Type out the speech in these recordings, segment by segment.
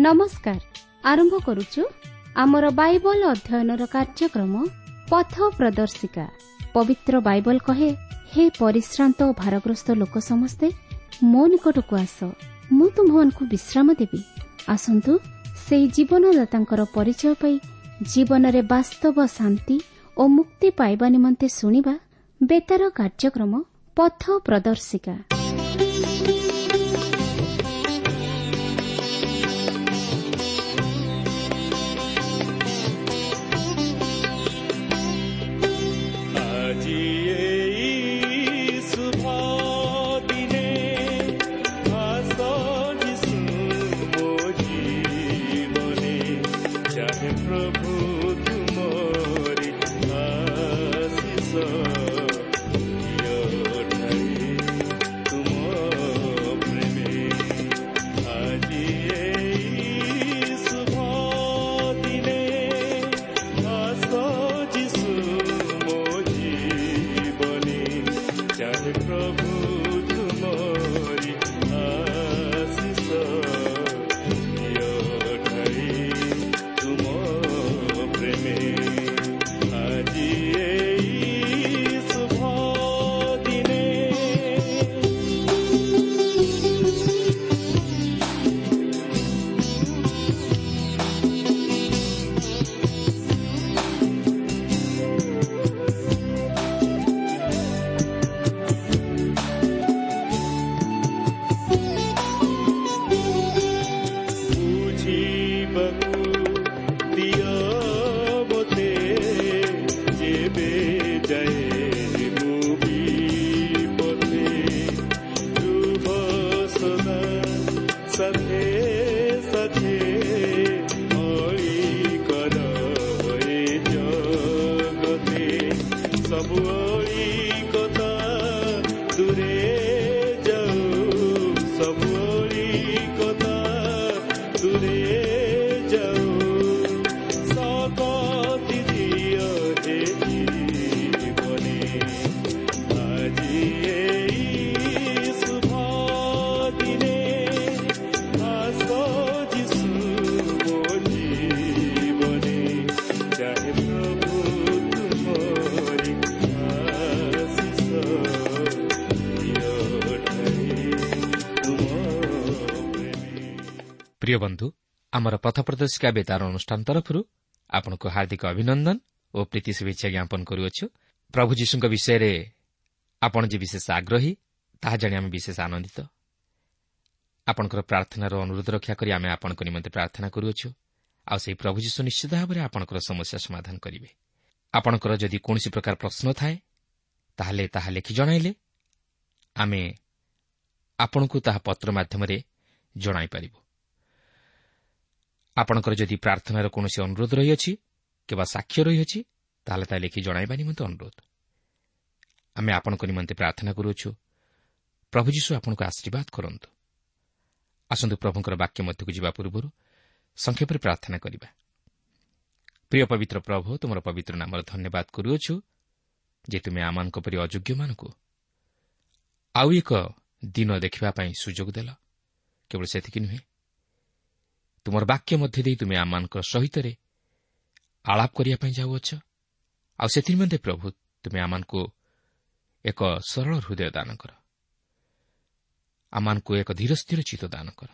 ନମସ୍କାର। ଆରମ୍ଭ କରୁଛୁ ଆମର ବାଇବଲ ଅଧ୍ୟୟନର କାର୍ଯ୍ୟକ୍ରମ ପଥ ପ୍ରଦର୍ଶିକା। ପବିତ୍ର ବାଇବଲ କହେ, ହେ ପରିଶ୍ରାନ୍ତ ଓ ଭାରଗ୍ରସ୍ତ ଲୋକ ସମସ୍ତେ ମୋ ନିକଟକୁ ଆସ, ମୁଁ ତୁମ୍ଭମାନଙ୍କୁ ବିଶ୍ରାମ ଦେବି। ଆସନ୍ତୁ ସେହି ଜୀବନଦାତାଙ୍କର ପରିଚୟ ପାଇ ଜୀବନରେ ବାସ୍ତବ ଶାନ୍ତି ଓ ମୁକ୍ତି ପାଇବା ନିମନ୍ତେ ଶୁଣିବା ବେତାର କାର୍ଯ୍ୟକ୍ରମ ପଥ ପ୍ରଦର୍ଶିକା। ଆଜି ଏଇ ଶୁଭ ଦିନେ ଆସ ଯୀଶୁ ମୋ ଜୀବନେ, ଚାହେ ପ୍ରଭୁ ତୁମରି ଆଶିଷ ଦିଅ ଢାଳି ତୁମ ପ୍ରେମେ। ଆଜି ଏଇ ଶୁଭ ଦିନେ ଆସ ଯୀଶୁ ମୋ ଜୀବନେ, ଚାହେ ପ୍ରଭୁ ତୁମରି ଆଶିଷ ଦିଅ ଢାଳି ତୁମ ପ୍ରେମେ। ଆଜି ଏଇ ଶୁଭ ଦିନେ। ବୁଝିବାକୁ ଦିଅ ମୋତେ ଯେବେ ଯାଏ ମୁଁ ବିପଥେ, ରୁହ ସଦା ସାଥେ ସାଥେ, ଅଳି କର ଏ ଜଗତେ, ସବୁ ଅଳିକତା ଦୂରେ ଯାଉ, ସବୁ ଅଳିକତା ଦୂରେ ଯାଉ, ଶକତି ଦିଅ ହେ ଜୀବନେ। ଆଜି ଏଇ ଶୁଭ ଦିନେ ଆସ ଯୀଶୁ ମୋ ଜୀବନେ, ଚାହେ ପ୍ରଭୁ ତୁମରି ଆଶିଷ ଦିଅ ଢାଳି ତୁମ ପ୍ରେମେ। ପ୍ରିୟ ବନ୍ଧୁ, ଆମର ପଥ ପ୍ରଦର୍ଶିକା ବେତାର ଅନୁଷ୍ଠାନ ତରଫରୁ ଆପଣଙ୍କୁ ହାର୍ଦ୍ଦିକ ଅଭିନନ୍ଦନ ଓ ପ୍ରୀତି ଶୁଭେଚ୍ଛା ଜ୍ଞାପନ କରୁଅଛୁ। ପ୍ରଭୁ ଯୀଶୁଙ୍କ ବିଷୟରେ ଆପଣ ଯେ ବିଶେଷ ଆଗ୍ରହୀ ତାହା ଜାଣି ଆମେ ବିଶେଷ ଆନନ୍ଦିତ। ଆପଣଙ୍କର ପ୍ରାର୍ଥନାର ଅନୁରୋଧ ରକ୍ଷା କରି ଆମେ ଆପଣଙ୍କ ନିମନ୍ତେ ପ୍ରାର୍ଥନା କରୁଅଛୁ, ଆଉ ସେହି ପ୍ରଭୁ ଯୀଶୁ ନିଶ୍ଚିତ ଭାବରେ ଆପଣଙ୍କର ସମସ୍ୟା ସମାଧାନ କରିବେ। ଆପଣଙ୍କର ଯଦି କୌଣସି ପ୍ରକାର ପ୍ରଶ୍ନ ଥାଏ ତାହେଲେ ତାହା ଲେଖି ଜଣାଇଲେ ଆମେ ଆପଣଙ୍କୁ ତାହା ପତ୍ର ମାଧ୍ୟମରେ ଜଣାଇପାରିବୁ। ଆପଣଙ୍କର ଯଦି ପ୍ରାର୍ଥନାର କୌଣସି ଅନୁରୋଧ ରହିଅଛି କିମ୍ବା ସାକ୍ଷ୍ୟ ରହିଅଛି ତାହେଲେ ତାହା ଲେଖି ଜଣାଇବା ନିମନ୍ତେ ଅନୁରୋଧ। ଆମେ ଆପଣଙ୍କ ନିମନ୍ତେ ପ୍ରାର୍ଥନା କରୁଅଛୁ। ପ୍ରଭୁ ଯୀଶୁ ଆପଣଙ୍କୁ ଆଶୀର୍ବାଦ କରନ୍ତୁ। ଆସନ୍ତୁ ପ୍ରଭୁଙ୍କର ବାକ୍ୟ ମଧ୍ୟକୁ ଯିବା ପୂର୍ବରୁ ସଂକ୍ଷେପରେ ପ୍ରାର୍ଥନା କରିବା। ପ୍ରିୟ ପବିତ୍ର ପ୍ରଭୁ, ତୁମର ପବିତ୍ର ନାମର ଧନ୍ୟବାଦ କରୁଅଛୁ ଯେ ତୁମେ ଆମମାନଙ୍କ ପରି ଅଯୋଗ୍ୟମାନଙ୍କୁ ଆଉ ଏକ ଦିନ ଦେଖିବା ପାଇଁ ସୁଯୋଗ ଦେଲ। କେବଳ ସେତିକି ନୁହେଁ, ତୁମର ବାକ୍ୟ ମଧ୍ୟ ଦେଇ ତୁମେ ଆମମାନଙ୍କ ସହିତରେ ଆଳାପ କରିବା ପାଇଁ ଯାଉଅଛ। ଆଉ ସେଥିନିମନ୍ତେ ପ୍ରଭୁ ତୁମେ ଆମମାନଙ୍କୁ ଏକ ସରଳ ହୃଦୟ ଦାନ କର, ଆମମାନଙ୍କୁ ଏକ ଧୀର ସ୍ଥିର ଚିତ୍ତ ଦାନ କର।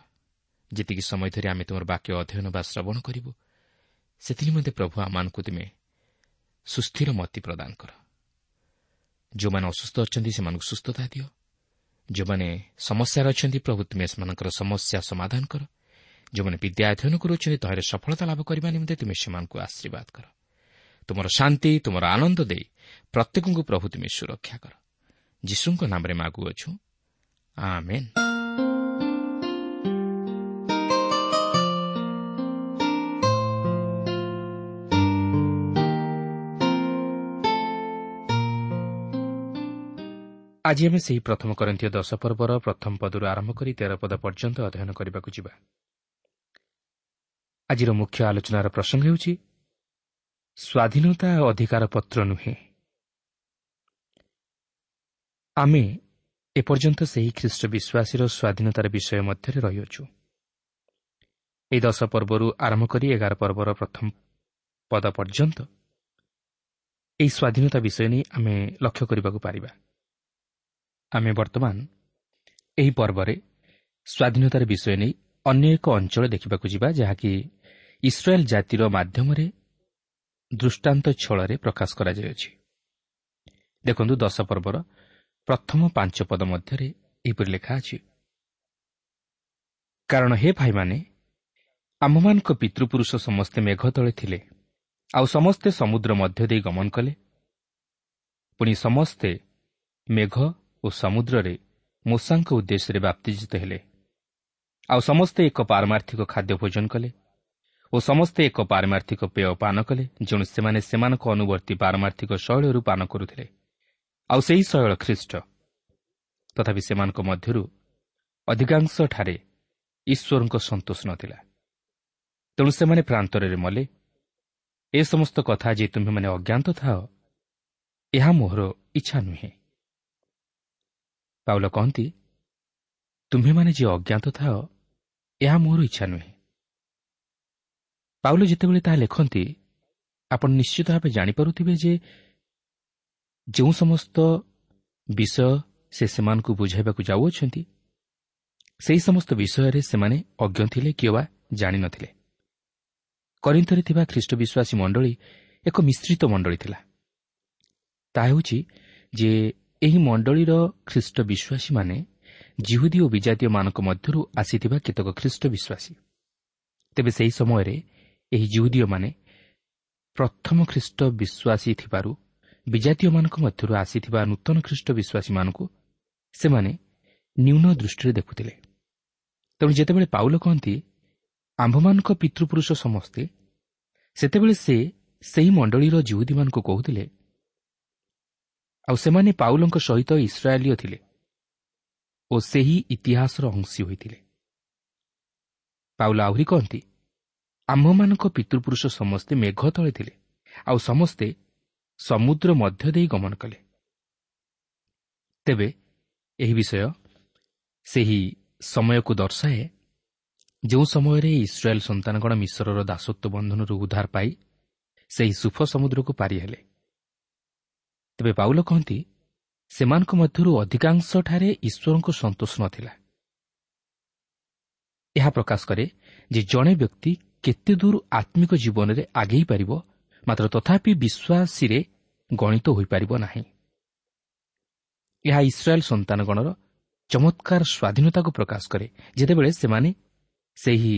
ଯେତିକି ସମୟ ଧରି ଆମେ ତୁମର ବାକ୍ୟ ଅଧ୍ୟୟନ ବା ଶ୍ରବଣ କରିବୁ ସେଥିନିମନ୍ତେ ପ୍ରଭୁ ଆମମାନଙ୍କୁ ତୁମେ ସୁସ୍ଥିର ମତି ପ୍ରଦାନ କର। ଯେଉଁମାନେ ଅସୁସ୍ଥ ଅଛନ୍ତି ସେମାନଙ୍କୁ ସୁସ୍ଥତା ଦିଅ। ଯେଉଁମାନେ ସମସ୍ୟାରେ ଅଛନ୍ତି ପ୍ରଭୁ ତୁମେ ସେମାନଙ୍କର ସମସ୍ୟା ସମାଧାନ କର। ଯେଉଁମାନେ ବିଦ୍ୟା ଅଧ୍ୟୟନ କରୁଅଛନ୍ତି ତହିଁରେ ସଫଳତା ଲାଭ କରିବା ନିମନ୍ତେ ତୁମେ ସେମାନଙ୍କୁ ଆଶୀର୍ବାଦ କର। ତୁମର ଶାନ୍ତି, ତୁମର ଆନନ୍ଦ ଦେଇ ପ୍ରତ୍ୟେକଙ୍କୁ ପ୍ରଭୁ ତୁମେ ସୁରକ୍ଷା କର। ଯୀଶୁଙ୍କ ନାମରେ ମାଗୁଅଛୁ, ଆମେନ୍। ଆଜି ଆମେ ସେହି ପ୍ରଥମ କରିନ୍ଥୀୟ 10 ପର୍ବର ପ୍ରଥମ ପଦରୁ ଆରମ୍ଭ କରି 13 ପଦ ପର୍ଯ୍ୟନ୍ତ ଅଧ୍ୟୟନ କରିବାକୁ ଯିବା। ଆଜିର ମୁଖ୍ୟ ଆଲୋଚନାର ପ୍ରସଙ୍ଗ ହେଉଛି ସ୍ୱାଧୀନତା ଅଧିକାର ପତ୍ର ନୁହେଁ। ଆମେ ଏପର୍ଯ୍ୟନ୍ତ ସେହି ଖ୍ରୀଷ୍ଟ ବିଶ୍ୱାସୀର ସ୍ୱାଧୀନତାର ବିଷୟ ମଧ୍ୟରେ ରହିଅଛୁ। ଏହି 10 ପର୍ବରୁ ଆରମ୍ଭ କରି 11 ପର୍ବର ପ୍ରଥମ ପଦ ପର୍ଯ୍ୟନ୍ତ ଏହି ସ୍ୱାଧୀନତା ବିଷୟ ନେଇ ଆମେ ଲକ୍ଷ୍ୟ କରିବାକୁ ପାରିବା। ଆମେ ବର୍ତ୍ତମାନ ଏହି ପର୍ବରେ ସ୍ୱାଧୀନତାର ବିଷୟ ନେଇ ଅନ୍ୟ ଏକ ଅଞ୍ଚଳ ଦେଖିବାକୁ ଯିବା, ଯାହାକି ଇସ୍ରାଏଲ୍ ଜାତିର ମାଧ୍ୟମରେ ଦୃଷ୍ଟାନ୍ତ ଛଳରେ ପ୍ରକାଶ କରାଯାଇଅଛି। ଦେଖନ୍ତୁ, 10 ପର୍ବର ପ୍ରଥମ 5 ପଦ ମଧ୍ୟରେ ଏହିପରି ଲେଖା ଅଛି, କାରଣ ହେ ଭାଇମାନେ, ଆମ୍ଭମାନଙ୍କ ପିତୃପୁରୁଷ ସମସ୍ତେ ମେଘ ତଳେ ଥିଲେ, ଆଉ ସମସ୍ତେ ସମୁଦ୍ର ମଧ୍ୟ ଦେଇ ଗମନ କଲେ। ପୁଣି ସମସ୍ତେ ମେଘ ଓ ସମୁଦ୍ରରେ ମୋଶାଙ୍କ ଉଦ୍ଦେଶ୍ୟରେ ବାପ୍ତିଜିତ ହେଲେ। ଆଉ ସମସ୍ତେ ଏକ ପାରମାର୍ଥିକ ଖାଦ୍ୟ ଭୋଜନ କଲେ ଓ ସମସ୍ତେ ଏକ ପାରମାର୍ଥିକ ପେୟ ପାନ କଲେ, ଯେଣୁ ସେମାନେ ସେମାନଙ୍କ ଅନୁବର୍ତ୍ତୀ ପାରମାର୍ଥିକ ଶୈଳରୁ ପାନ କରୁଥିଲେ, ଆଉ ସେହି ଶୈଳ ଖ୍ରୀଷ୍ଟ। ତଥାପି ସେମାନଙ୍କ ମଧ୍ୟରୁ ଅଧିକାଂଶଠାରେ ଈଶ୍ୱରଙ୍କ ସନ୍ତୋଷ ନଥିଲା, ତେଣୁ ସେମାନେ ପ୍ରାନ୍ତରରେ ମଲେ। ଏ ସମସ୍ତ କଥା ଯେ ତୁମ୍ଭେମାନେ ଅଜ୍ଞାତ ଥାଅ, ଏହା ମୋହର ଇଚ୍ଛା ନୁହେଁ। ପାଉଲ କହନ୍ତି, ତୁମ୍ଭେମାନେ ଯେ ଅଜ୍ଞାତ ଥାଅ, ଏହା ମୋହର ଇଚ୍ଛା ନୁହେଁ। ପାଉଲ ଯେତେବେଳେ ତାହା ଲେଖନ୍ତି, ଆପଣ ନିଶ୍ଚିତ ଭାବେ ଜାଣିପାରୁଥିବେ ଯେ ଯେଉଁ ସମସ୍ତ ବିଷୟ ସେ ସେମାନଙ୍କୁ ବୁଝାଇବାକୁ ଯାଉଅଛନ୍ତି, ସେହି ସମସ୍ତ ବିଷୟରେ ସେମାନେ ଅଜ୍ଞ ଥିଲେ କିମ୍ବା ଜାଣିନଥିଲେ। କରିନ୍ଥରେ ଥିବା ଖ୍ରୀଷ୍ଟ ବିଶ୍ୱାସୀ ମଣ୍ଡଳୀ ଏକ ମିଶ୍ରିତ ମଣ୍ଡଳୀ ଥିଲା। ତାହା ହେଉଛି ଯେ ଏହି ମଣ୍ଡଳୀର ଖ୍ରୀଷ୍ଟ ବିଶ୍ୱାସୀମାନେ ଜିହୁଦୀ ଓ ବିଜାତୀୟମାନଙ୍କ ମଧ୍ୟରୁ ଆସିଥିବା କେତେକ ଖ୍ରୀଷ୍ଟ ବିଶ୍ୱାସୀ। ତେବେ ସେହି ସମୟରେ ଏହି ଜିହୁଦୀୟମାନେ ପ୍ରଥମ ଖ୍ରୀଷ୍ଟ ବିଶ୍ୱାସୀ ଥିବାରୁ ବିଜାତୀୟମାନଙ୍କ ମଧ୍ୟରୁ ଆସିଥିବା ନୂତନ ଖ୍ରୀଷ୍ଟ ବିଶ୍ୱାସୀମାନଙ୍କୁ ସେମାନେ ନ୍ୟୁନ ଦୃଷ୍ଟିରେ ଦେଖୁଥିଲେ। ତେଣୁ ଯେତେବେଳେ ପାଉଲ କହନ୍ତି ଆମ୍ଭମାନଙ୍କ ପିତୃପୁରୁଷ ସମସ୍ତେ, ସେତେବେଳେ ସେ ସେହି ମଣ୍ଡଳୀର ଜିହୁଦୀମାନଙ୍କୁ କହୁଥିଲେ, ଆଉ ସେମାନେ ପାଉଲଙ୍କ ସହିତ ଇସ୍ରାଏଲୀୟ ଥିଲେ ଓ ସେହି ଇତିହାସର ଅଂଶୀ ହୋଇଥିଲେ। ପାଉଲ ଆହୁରି କହନ୍ତି, ଆମ୍ଭମାନଙ୍କ ପିତୃପୁରୁଷ ସମସ୍ତେ ମେଘ ତଳେ ଥିଲେ, ଆଉ ସମସ୍ତେ ସମୁଦ୍ର ମଧ୍ୟ ଦେଇ ଗମନ କଲେ। ତେବେ ଏହି ବିଷୟ ସେହି ସମୟକୁ ଦର୍ଶାଏ ଯେଉଁ ସମୟରେ ଇସ୍ରାଏଲ୍ ସନ୍ତାନଗଣ ମିଶରର ଦାସତ୍ୱ ବନ୍ଧନରୁ ଉଦ୍ଧାର ପାଇ ସେହି ସୁଫ ସମୁଦ୍ରକୁ ପାରି ହେଲେ। ତେବେ ପାଉଲ କହନ୍ତି, ସେମାନଙ୍କ ମଧ୍ୟରୁ ଅଧିକାଂଶଠାରେ ଈଶ୍ୱରଙ୍କ ସନ୍ତୋଷ ନଥିଲା। ଏହା ପ୍ରକାଶ କରେ ଯେ ଜଣେ ବ୍ୟକ୍ତି କେତେ ଦୂର ଆତ୍ମିକ ଜୀବନରେ ଆଗେଇ ପାରିବ, ମାତ୍ର ତଥାପି ବିଶ୍ୱାସୀରେ ଗଣିତ ହୋଇପାରିବ ନାହିଁ। ଏହା ଇସ୍ରାଏଲ୍ ସନ୍ତାନଗଣର ଚମତ୍କାର ସ୍ୱାଧୀନତାକୁ ପ୍ରକାଶ କରେ, ଯେତେବେଳେ ସେମାନେ ସେହି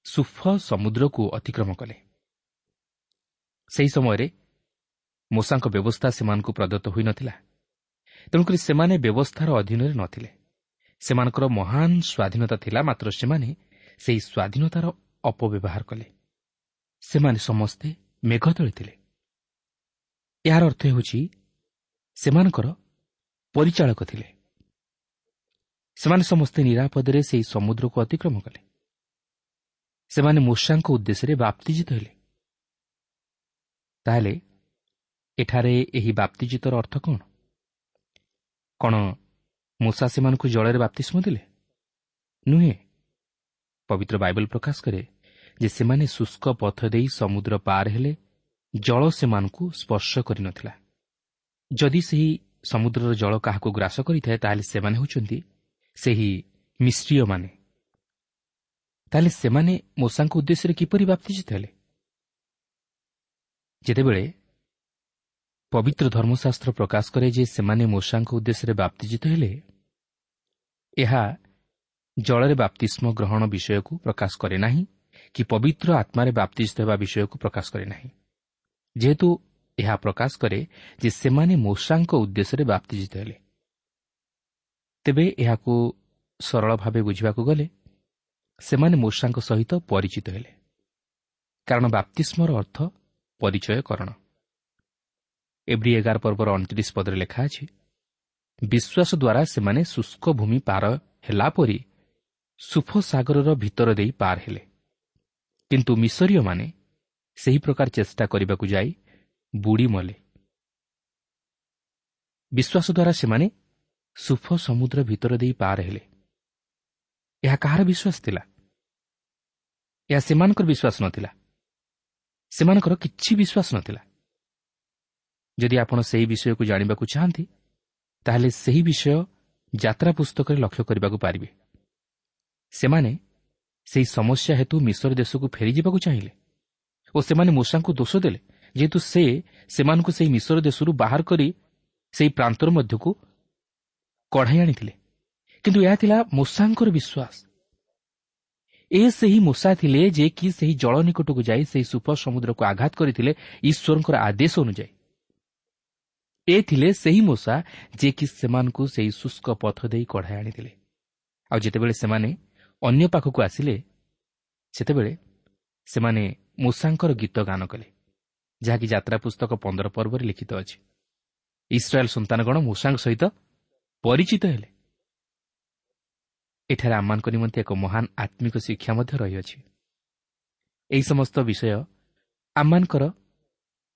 ସୁଫ ସମୁଦ୍ରକୁ ଅତିକ୍ରମ କଲେ। ସେହି ସମୟରେ ମୋଶାଙ୍କ ବ୍ୟବସ୍ଥା ସେମାନଙ୍କୁ ପ୍ରଦତ୍ତ ହୋଇନଥିଲା, ତେଣୁକରି ସେମାନେ ବ୍ୟବସ୍ଥାର ଅଧୀନରେ ନଥିଲେ। ସେମାନଙ୍କର ମହାନ ସ୍ୱାଧୀନତା ଥିଲା, ମାତ୍ର ସେମାନେ ସେହି ସ୍ୱାଧୀନତାର ଅପବ୍ୟବହାର କଲେ। ସେମାନେ ସମସ୍ତେ ମେଘ ତଳେ ଥିଲେ। ଏହାର ଅର୍ଥ ହେଉଛି ସେମାନଙ୍କର ପରିଚାଳକ ଥିଲେ। ସେମାନେ ସମସ୍ତେ ନିରାପଦରେ ସେହି ସମୁଦ୍ରକୁ ଅତିକ୍ରମ କଲେ। ସେମାନେ ମୋଶାଙ୍କ ଉଦ୍ଦେଶ୍ୟରେ ବାପ୍ତିଜିତ ହେଲେ। ତାହେଲେ ଏଠାରେ ଏହି ବାପ୍ତିଜିତର ଅର୍ଥ କ'ଣ? କ'ଣ ମୋଶା ସେମାନଙ୍କୁ ଜଳରେ ବାପ୍ତିସ୍ମ ଦେଲେ? ନୁହେଁ। ପବିତ୍ର ବାଇବଲ ପ୍ରକାଶ କରେ ଯେ ସେମାନେ ଶୁଷ୍କ ପଥ ଦେଇ ସମୁଦ୍ର ପାର ହେଲେ, ଜଳ ସେମାନଙ୍କୁ ସ୍ପର୍ଶ କରିନଥିଲା। ଯଦି ସେହି ସମୁଦ୍ରର ଜଳ କାହାକୁ ଗ୍ରାସ କରିଥାଏ, ତାହେଲେ ସେମାନେ ହେଉଛନ୍ତି ସେହି ମିଶ୍ରୀୟମାନେ। ତାହେଲେ ସେମାନେ ମୋଶାଙ୍କ ଉଦ୍ଦେଶ୍ୟରେ କିପରି ବାପ୍ତିଜିତ ହେଲେ? ଯେତେବେଳେ ପବିତ୍ର ଧର୍ମଶାସ୍ତ୍ର ପ୍ରକାଶ କରେ ଯେ ସେମାନେ ମୋଶାଙ୍କ ଉଦ୍ଦେଶ୍ୟରେ ବାପ୍ତିଜିତ ହେଲେ, ଏହା ଜଳରେ ବାପ୍ତିସ୍ମ ଗ୍ରହଣ ବିଷୟକୁ ପ୍ରକାଶ କରେ ନାହିଁ କି ପବିତ୍ର ଆତ୍ମାରେ ବାପ୍ତିଜିତ ହେବା ବିଷୟକୁ ପ୍ରକାଶ କରେ ନାହିଁ। ଯେହେତୁ ଏହା ପ୍ରକାଶ କରେ ଯେ ସେମାନେ ମୋଶାଙ୍କ ଉଦ୍ଦେଶ୍ୟରେ ବାପ୍ତିଜିତ ହେଲେ। ତେବେ ଏହାକୁ ସରଳ ଭାବେ ବୁଝିବାକୁ ଗଲେ ସେମାନେ ମୋଶାଙ୍କ ସହିତ ପରିଚିତ ହେଲେ, କାରଣ ବାପ୍ତିସ୍ମର ଅର୍ଥ ପରିଚୟକରଣ। ଏବ୍ରୀ 11 ପର୍ବର 29 ପଦରେ ଲେଖା ଅଛି, ବିଶ୍ୱାସ ଦ୍ୱାରା ସେମାନେ ଶୁଷ୍କ ଭୂମି ପାର ହେଲା ପରି ସୁଫ ସାଗରର ଭିତର ଦେଇ ପାର ହେଲେ। କିନ୍ତୁ ମିଶରୀୟମାନେ ସେହି ପ୍ରକାର ଚେଷ୍ଟା କରିବାକୁ ଯାଇ ବୁଡ଼ି ମଲେ। ବିଶ୍ୱାସ ଦ୍ୱାରା ସେମାନେ ସୁଫ ସମୁଦ୍ର ଭିତର ଦେଇ ପାର ହେଲେ। ଏହା କାହାର ବିଶ୍ୱାସ ଥିଲା? ଏହା ସେମାନଙ୍କର ବିଶ୍ୱାସ ନଥିଲା, ସେମାନଙ୍କର କିଛି ବିଶ୍ୱାସ ନଥିଲା। ଯଦି ଆପଣ ସେହି ବିଷୟକୁ ଜାଣିବାକୁ ଚାହାନ୍ତି, ତାହେଲେ ସେହି ବିଷୟ ଯାତ୍ରା ପୁସ୍ତକରେ ଲକ୍ଷ୍ୟ କରିବାକୁ ପାରିବେ। ସେମାନେ ସେହି ସମସ୍ୟା ହେତୁ ମିଶର ଦେଶକୁ ଫେରିଯିବାକୁ ଚାହିଁଲେ ଓ ସେମାନେ ମୂଷାଙ୍କୁ ଦୋଷ ଦେଲେ, ଯେହେତୁ ସେ ସେମାନଙ୍କୁ ସେହି ମିଶର ଦେଶରୁ ବାହାର କରି ସେହି ପ୍ରାନ୍ତର ମଧ୍ୟକୁ କଢ଼ାଇ ଆଣିଥିଲେ। କିନ୍ତୁ ଏହା ଥିଲା ମୂଷାଙ୍କର ବିଶ୍ୱାସ। ଏ ସେହି ମୂଷା ଥିଲେ ଯେ କି ସେହି ଜଳ ନିକଟକୁ ଯାଇ ସେହି ସୁପ ସମୁଦ୍ରକୁ ଆଘାତ କରିଥିଲେ ଈଶ୍ୱରଙ୍କର ଆଦେଶ ଅନୁଯାୟୀ। ଏ ଥିଲେ ସେହି ମୂଷା ଯେ କି ସେମାନଙ୍କୁ ସେହି ଶୁଷ୍କ ପଥ ଦେଇ କଢ଼ାଇ ଆଣିଥିଲେ। ଆଉ ଯେତେବେଳେ ସେମାନେ ଅନ୍ୟ ପାଖକୁ ଆସିଲେ, ସେତେବେଳେ ସେମାନେ ମୂଷାଙ୍କର ଗୀତ ଗାନ କଲେ, ଯାହାକି ଯାତ୍ରା ପୁସ୍ତକ 15 ପର୍ବରେ ଲିଖିତ ଅଛି। ଇସ୍ରାଏଲ୍ ସନ୍ତାନଗଣ ମୂଷାଙ୍କ ସହିତ ପରିଚିତ ହେଲେ। ଏଠାରେ ଆମମାନଙ୍କ ନିମନ୍ତେ ଏକ ମହାନ ଆତ୍ମିକ ଶିକ୍ଷା ମଧ୍ୟ ରହିଅଛି। ଏହି ସମସ୍ତ ବିଷୟ ଆମମାନଙ୍କର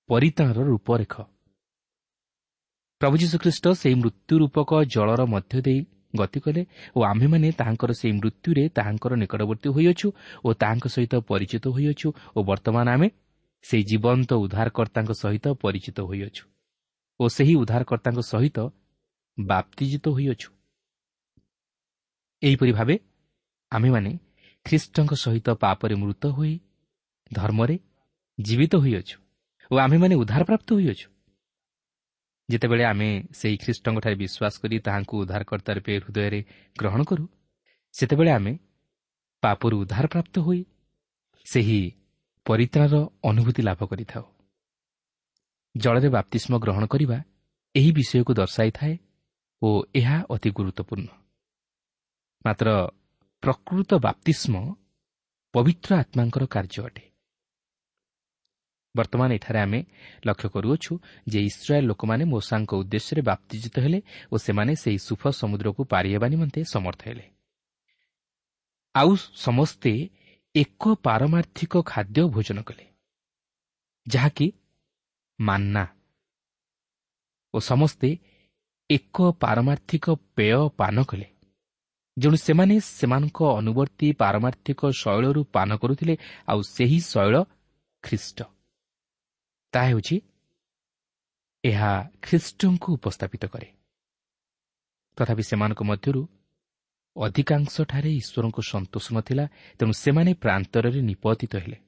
ପରିତ୍ରାଣର ରୂପରେଖ। ପ୍ରଭୁ ଯୀଶୁଖ୍ରୀଷ୍ଟ ସେହି ମୃତ୍ୟୁ ରୂପକ ଜଳର ମଧ୍ୟ ଦେଇ ଗତି କଲେ ଓ ଆମ୍ଭେମାନେ ତାହାଙ୍କର ସେହି ମୃତ୍ୟୁରେ ତାହାଙ୍କର ନିକଟବର୍ତ୍ତୀ ହୋଇଅଛୁ ଓ ତାହାଙ୍କ ସହିତ ପରିଚିତ ହୋଇଅଛୁ ଓ ବର୍ତ୍ତମାନ ଆମେ ସେହି ଜୀବନ୍ତ ଉଦ୍ଧାରକର୍ତ୍ତାଙ୍କ ସହିତ ପରିଚିତ ହୋଇଅଛୁ ଓ ସେହି ଉଦ୍ଧାରକର୍ତ୍ତାଙ୍କ ସହିତ ବାପ୍ତିଜିତ ହୋଇଅଛୁ। ଏହିପରି ଭାବେ ଆମ୍ଭେମାନେ ଖ୍ରୀଷ୍ଟଙ୍କ ସହିତ ପାପରେ ମୃତ ହୋଇ ଧର୍ମରେ ଜୀବିତ ହୋଇଅଛୁ ଓ ଆମ୍ଭେମାନେ ଉଦ୍ଧାରପ୍ରାପ୍ତ ହୋଇଅଛୁ। ଯେତେବେଳେ ଆମେ ସେହି ଖ୍ରୀଷ୍ଟଙ୍କଠାରେ ବିଶ୍ୱାସ କରି ତାହାଙ୍କୁ ଉଦ୍ଧାରକର୍ତ୍ତା ରୂପେ ହୃଦୟରେ ଗ୍ରହଣ କରୁ, ସେତେବେଳେ ଆମେ ପାପରୁ ଉଦ୍ଧାରପ୍ରାପ୍ତ ହୋଇ ସେହି ପରିତ୍ରାଣର ଅନୁଭୂତି ଲାଭ କରିଥାଉ। ଜଳରେ ବାପ୍ତିସ୍ମ ଗ୍ରହଣ କରିବା ଏହି ବିଷୟକୁ ଦର୍ଶାଇଥାଏ ଓ ଏହା ଅତି ଗୁରୁତ୍ୱପୂର୍ଣ୍ଣ। ମାତ୍ର ପ୍ରକୃତ ବାପ୍ତିସ୍ମ ପବିତ୍ର ଆତ୍ମାଙ୍କର କାର୍ଯ୍ୟ ଅଟେ। ବର୍ତ୍ତମାନ ଏଠାରେ ଆମେ ଲକ୍ଷ୍ୟ କରୁଅଛୁ ଯେ ଇସ୍ରାଏଲ୍ ଲୋକମାନେ ମୋଶାଙ୍କ ଉଦ୍ଦେଶ୍ୟରେ ବାପ୍ତିଜିତ ହେଲେ ଓ ସେମାନେ ସେହି ସୁଫ ସମୁଦ୍ରକୁ ପାରି ହେବା ନିମନ୍ତେ ସମର୍ଥ ହେଲେ। ଆଉ ସମସ୍ତେ ଏକ ପାରମାର୍ଥିକ ଖାଦ୍ୟ ଭୋଜନ କଲେ, ଯାହାକି ମାନ୍ନା, ଓ ସମସ୍ତେ ଏକ ପାରମାର୍ଥିକ ପେୟ ପାନ କଲେ। ଯେଣୁ ସେମାନେ ସେମାନଙ୍କ ଅନୁବର୍ତ୍ତୀ ପାରମାର୍ଥିକ ଶୈଳରୁ ପାନ କରୁଥିଲେ, ଆଉ ସେହି ଶୈଳ ଖ୍ରୀଷ୍ଟ। ତାହା ହେଉଛି ଏହା ଖ୍ରୀଷ୍ଟଙ୍କୁ ଉପସ୍ଥାପିତ କରେ। ତଥାପି ସେମାନଙ୍କ ମଧ୍ୟରୁ ଅଧିକାଂଶଠାରେ ଈଶ୍ୱରଙ୍କୁ ସନ୍ତୋଷ ନଥିଲା, ତେଣୁ ସେମାନେ ପ୍ରାନ୍ତରରେ ନିପତିତ ହେଲେ।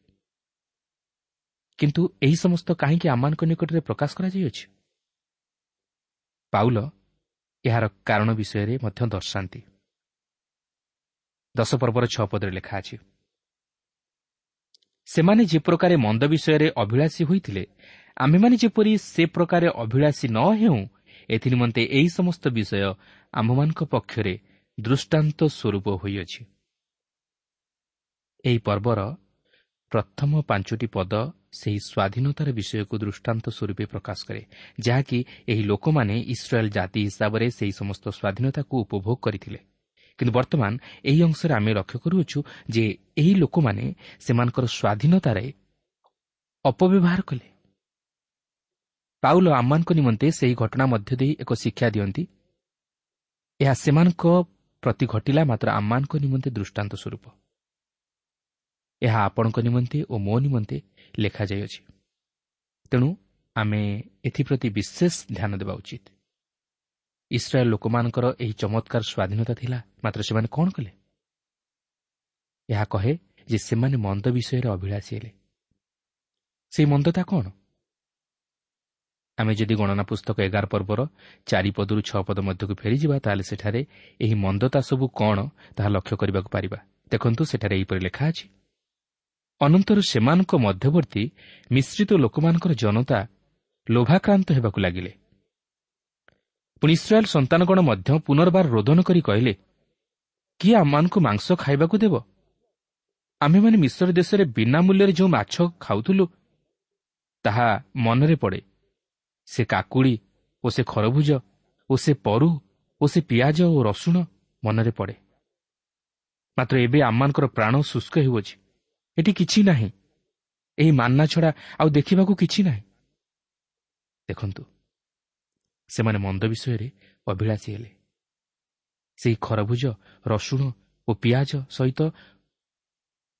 କିନ୍ତୁ ଏହି ସମସ୍ତ କାହିଁକି ଆମମାନଙ୍କ ନିକଟରେ ପ୍ରକାଶ କରାଯାଇଅଛି? ପାଉଲ ଏହାର କାରଣ ବିଷୟରେ ମଧ୍ୟ ଦର୍ଶାନ୍ତି। 10 ପର୍ବର 6 ପଦରେ ଲେଖା ଅଛି, ସେମାନେ ଯେ ପ୍ରକାରେ ମନ୍ଦ ବିଷୟରେ ଅଭିଳାଷୀ ହୋଇଥିଲେ, ଆମ୍ଭେମାନେ ଯେପରି ସେ ପ୍ରକାରେ ଅଭିଳାଷୀ ନ ହେଉଁ, ଏଥିନିମନ୍ତେ ଏହି ସମସ୍ତ ବିଷୟ ଆମ୍ଭମାନଙ୍କ ପକ୍ଷରେ ଦୃଷ୍ଟାନ୍ତ ସ୍ୱରୂପ ହୋଇଅଛି। ଏହି ପର୍ବର ପ୍ରଥମ 5ଟି ପଦ ସେହି ସ୍ୱାଧୀନତାର ବିଷୟକୁ ଦୃଷ୍ଟାନ୍ତ ସ୍ୱରୂପେ ପ୍ରକାଶ କରେ, ଯାହାକି ଏହି ଲୋକମାନେ ଇସ୍ରାଏଲ୍ ଜାତି ହିସାବରେ ସେହି ସମସ୍ତ ସ୍ୱାଧୀନତାକୁ ଉପଭୋଗ କରିଥିଲେ। କିନ୍ତୁ ବର୍ତ୍ତମାନ ଏହି ଅଂଶରେ ଆମେ ଲକ୍ଷ୍ୟ କରୁଅଛୁ ଯେ ଏହି ଲୋକମାନେ ସେମାନଙ୍କର ସ୍ୱାଧୀନତାରେ ଅପବ୍ୟବହାର କଲେ। ପାଉଲ ଆମମାନଙ୍କ ନିମନ୍ତେ ସେହି ଘଟଣା ମଧ୍ୟ ଦେଇ ଏକ ଶିକ୍ଷା ଦିଅନ୍ତି। ଏହା ସେମାନଙ୍କ ପ୍ରତି ଘଟିଲା, ମାତ୍ର ଆମମାନଙ୍କ ନିମନ୍ତେ ଦୃଷ୍ଟାନ୍ତ ସ୍ୱରୂପ। ଏହା ଆପଣଙ୍କ ନିମନ୍ତେ ଓ ମୋ ନିମନ୍ତେ ଲେଖାଯାଇଅଛି। ତେଣୁ ଆମେ ଏଥିପ୍ରତି ବିଶେଷ ଧ୍ୟାନ ଦେବା ଉଚିତ। ଇସ୍ରାଏଲ୍ ଲୋକମାନଙ୍କର ଏହି ଚମତ୍କାର ସ୍ୱାଧୀନତା ଥିଲା, ମାତ୍ର ସେମାନେ କ'ଣ କଲେ? ଏହା କହେ ଯେ ସେମାନେ ମନ୍ଦ ବିଷୟରେ ଅଭିଳାଷୀ ହେଲେ। ସେହି ମନ୍ଦତା କ'ଣ? ଆମେ ଯଦି ଗଣନା ପୁସ୍ତକ 11 ପର୍ବର 4 ପଦରୁ 6 ପଦ ମଧ୍ୟକୁ ଫେରିଯିବା, ତାହେଲେ ସେଠାରେ ଏହି ମନ୍ଦତା ସବୁ କ'ଣ ତାହା ଲକ୍ଷ୍ୟ କରିବାକୁ ପାରିବା। ଦେଖନ୍ତୁ, ସେଠାରେ ଏହିପରି ଲେଖା ଅଛି, ଅନନ୍ତର ସେମାନଙ୍କ ମଧ୍ୟବର୍ତ୍ତୀ ମିଶ୍ରିତ ଲୋକମାନଙ୍କର ଜନତା ଲୋଭାକ୍ରାନ୍ତ ହେବାକୁ ଲାଗିଲେ। ପୁଣି ଇସ୍ରାଏଲ୍ ସନ୍ତାନଗଣ ମଧ୍ୟ ପୁନର୍ବାର ରୋଦନ କରି କହିଲେ, କିଏ ଆମମାନଙ୍କୁ ମାଂସ ଖାଇବାକୁ ଦେବ? ଆମ୍ଭେମାନେ ମିଶର ଦେଶରେ ବିନା ମୂଲ୍ୟରେ ଯେଉଁ ମାଛ ଖାଉଥିଲୁ ତାହା ମନରେ ପଡ଼େ। ସେ କାକୁଡ଼ି ଓ ସେ ଖରଭୁଜ ଓ ସେ ପରୁ ଓ ସେ ପିଆଜ ଓ ରସୁଣ ମନରେ ପଡ଼େ। ମାତ୍ର ଏବେ ଆମମାନଙ୍କର ପ୍ରାଣ ଶୁଷ୍କ ହେଉଅଛି, ଏଠି କିଛି ନାହିଁ, ଏହି ମାନ୍ନା ଛଡ଼ା ଆଉ ଦେଖିବାକୁ କିଛି ନାହିଁ। ଦେଖନ୍ତୁ, ସେମାନେ ମନ୍ଦ ବିଷୟରେ ଅଭିଳାଷୀ ହେଲେ। ସେହି ଖରଭୁଜ, ରସୁଣ ଓ ପିଆଜ ସହିତ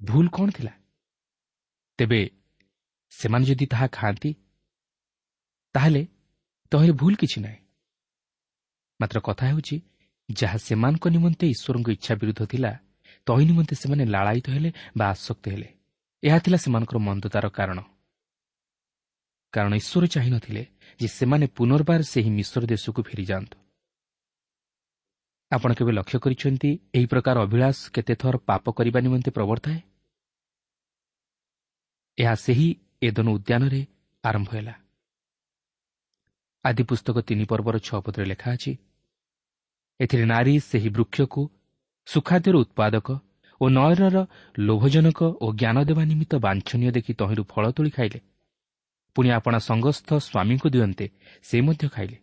ଭୁଲ କ'ଣ ଥିଲା? ତେବେ ସେମାନେ ଯଦି ତାହା ଖାଆନ୍ତି ତାହେଲେ ତହିଁରେ ଭୁଲ କିଛି ନାହିଁ। ମାତ୍ର କଥା ହେଉଛି, ଯାହା ସେମାନଙ୍କ ନିମନ୍ତେ ଈଶ୍ୱରଙ୍କ ଇଚ୍ଛା ବିରୁଦ୍ଧ ଥିଲା, ତହିଁ ନିମନ୍ତେ ସେମାନେ ଲାଳାୟିତ ହେଲେ ବା ଆସକ୍ତ ହେଲେ। ଏହା ଥିଲା ସେମାନଙ୍କର ମନ୍ଦତାର କାରଣ। କାରଣ ଈଶ୍ୱର ଚାହିଁନଥିଲେ ଯେ ସେମାନେ ପୁନର୍ବାର ସେହି ମିଶ୍ର ଦେଶକୁ ଫେରିଯାଆନ୍ତୁ। ଆପଣ କେବେ ଲକ୍ଷ୍ୟ କରିଛନ୍ତି ଏହି ପ୍ରକାର ଅଭିଳାଷ କେତେଥର ପାପ କରିବା ନିମନ୍ତେ ପ୍ରବର୍ତ୍ତାଏ? ଏହା ସେହି ଏଦନ ଉଦ୍ୟାନରେ ଆରମ୍ଭ ହେଲା। ଆଦିପୁସ୍ତକ 3 ପର୍ବର 6 ପଦରେ ଲେଖା ଅଛି, ଏଥିରେ ନାରୀ ସେହି ବୃକ୍ଷକୁ ସୁଖାଦ୍ୟର ଉତ୍ପାଦକ ଓ ନୟନର ଲୋଭଜନକ ଓ ଜ୍ଞାନ ଦେବା ନିମିତ୍ତ ବାଞ୍ଛନୀୟ ଦେଖି ତହିଁରୁ ଫଳ ତୋଳି ଖାଇଲେ। ପୁଣି ଆପଣା ସଙ୍ଗସ୍ଥ ସ୍ୱାମୀଙ୍କୁ ଦିଅନ୍ତେ ସେ ମଧ୍ୟ ଖାଇଲେ।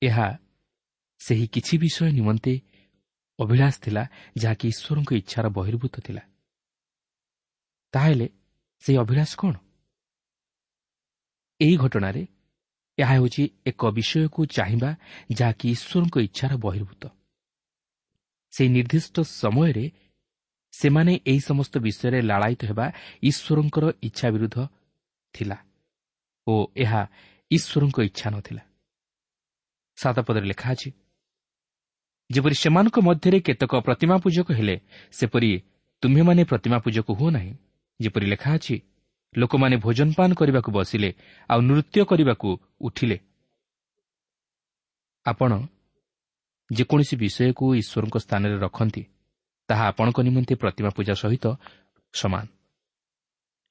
ଏହା ସେହି କିଛି ବିଷୟ ନିମନ୍ତେ ଅଭିଳାଷ ଥିଲା ଯାହାକି ଈଶ୍ୱରଙ୍କ ଇଚ୍ଛାର ବହିର୍ଭୂତ ଥିଲା। ତାହେଲେ ସେହି ଅଭିଳାଷ କ'ଣ? ଏହି ଘଟଣାରେ ଏହା ହେଉଛି ଏକ ବିଷୟକୁ ଚାହିଁବା ଯାହାକି ଈଶ୍ୱରଙ୍କ ଇଚ୍ଛାର ବହିର୍ଭୂତ। ସେହି ନିର୍ଦ୍ଦିଷ୍ଟ ସମୟରେ ସେମାନେ ଏହି ସମସ୍ତ ବିଷୟରେ ଲାଳାୟିତ ହେବା ଈଶ୍ୱରଙ୍କର ଇଚ୍ଛା ବିରୁଦ୍ଧ ଥିଲା ଓ ଏହା ଈଶ୍ୱରଙ୍କ ଇଚ୍ଛା ନଥିଲା। 7 ପଦରେ ଲେଖା ଅଛି, ଯେପରି ସେମାନଙ୍କ ମଧ୍ୟରେ କେତେକ ପ୍ରତିମା ପୂଜକ ହେଲେ, ସେପରି ତୁମ୍ଭେମାନେ ପ୍ରତିମା ପୂଜକ ହୁଅ ନାହିଁ। ଯେପରି ଲେଖା ଅଛି, ଲୋକମାନେ ଭୋଜନପାନ କରିବାକୁ ବସିଲେ ଆଉ ନୃତ୍ୟ କରିବାକୁ ଉଠିଲେ। ଆପଣ ଯେକୌଣସି ବିଷୟକୁ ଈଶ୍ୱରଙ୍କ ସ୍ଥାନରେ ରଖନ୍ତି, ତାହା ଆପଣଙ୍କ ନିମନ୍ତେ ପ୍ରତିମା ପୂଜା ସହିତ ସମାନ।